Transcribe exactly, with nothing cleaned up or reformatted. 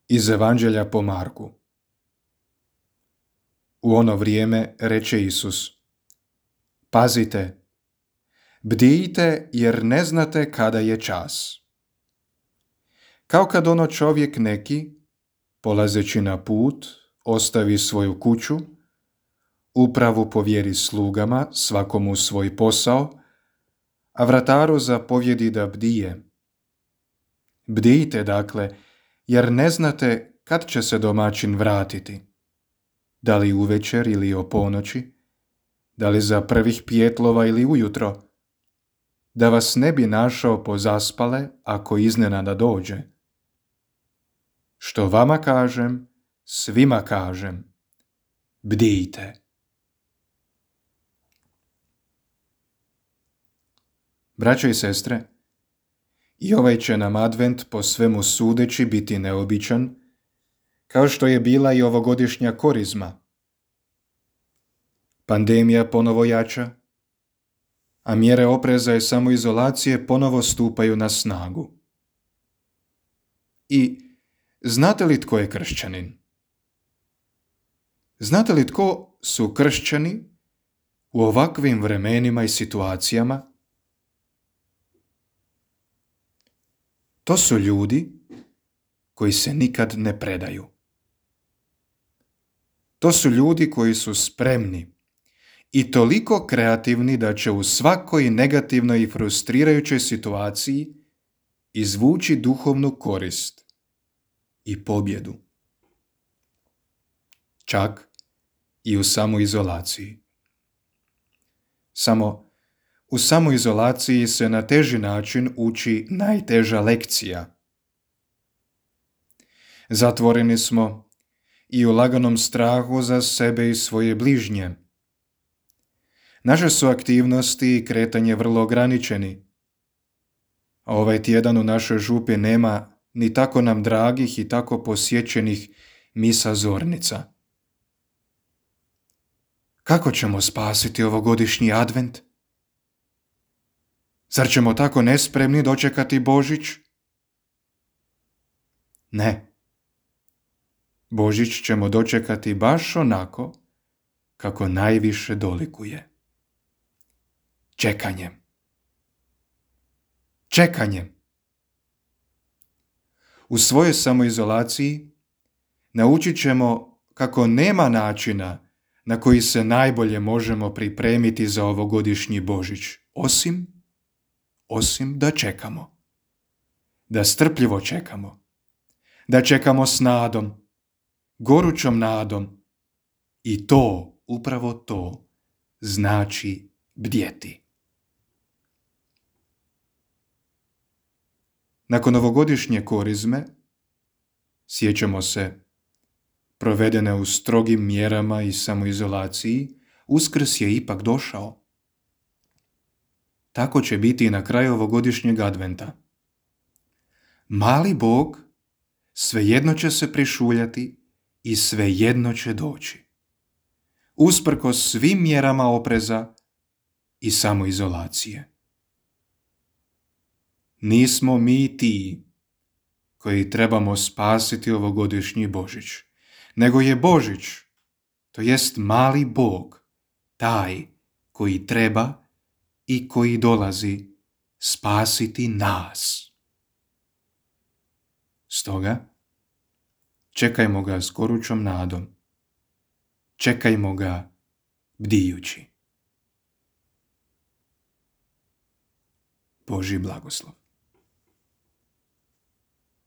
Iz Evanđelja po Marku. U ono vrijeme reče Isus: Pazite, bdijte jer ne znate kada je čas. Kao kad ono čovjek neki, polazeći na put, ostavi svoju kuću, upravu povjeri slugama, svakomu svoj posao, a vrataru zapovjedi da bdije. Bdijte, dakle, jer ne znate kad će se domaćin vratiti, da li uvečer ili o ponoći, da li za prvih pijetlova ili ujutro, da vas ne bi našao pozaspale ako iznenada dođe. Što vama kažem, svima kažem, bdijte. Braćo i sestre, i ovaj će nam advent po svemu sudeći biti neobičan, kao što je bila i ovogodišnja korizma. Pandemija ponovo jača, a mjere opreza i samoizolacije ponovo stupaju na snagu. I znate li tko je kršćanin? Znate li tko su kršćani u ovakvim vremenima i situacijama? To su ljudi koji se nikad ne predaju. To su ljudi koji su spremni i toliko kreativni da će u svakoj negativnoj i frustrirajućoj situaciji izvući duhovnu korist i pobjedu. Čak i u samoizolaciji. Samo u samoizolaciji se na teži način uči najteža lekcija. Zatvoreni smo i u laganom strahu za sebe i svoje bližnje. Naše su aktivnosti i kretanje vrlo ograničeni. A ovaj tjedan u našoj župi nema ni tako nam dragih i tako posjećenih misa zornica. Kako ćemo spasiti ovogodišnji advent? Zar ćemo tako nespremni dočekati Božić? Ne. Božić ćemo dočekati baš onako kako najviše dolikuje. Čekanjem. Čekanjem. U svojoj samoizolaciji naučit ćemo kako nema načina na koji se najbolje možemo pripremiti za ovogodišnji Božić, osim, osim da čekamo. Da strpljivo čekamo. Da čekamo s nadom, gorućom nadom. I to, upravo to, znači bdjeti. Nakon ovogodišnje korizme, sjećamo se, provedene u strogim mjerama i samoizolaciji, Uskrs je ipak došao. Tako će biti i na kraju ovogodišnjeg adventa. Mali Bog svejedno će se prišuljati i svejedno će doći. Usprkos svim mjerama opreza i samoizolacije. Nismo mi ti koji trebamo spasiti ovogodišnji Božić, nego je Božić, to jest mali Bog, taj koji treba i koji dolazi spasiti nas. Stoga, čekajmo ga s gorućom nadom. Čekajmo ga bdijući. Božji blagoslov.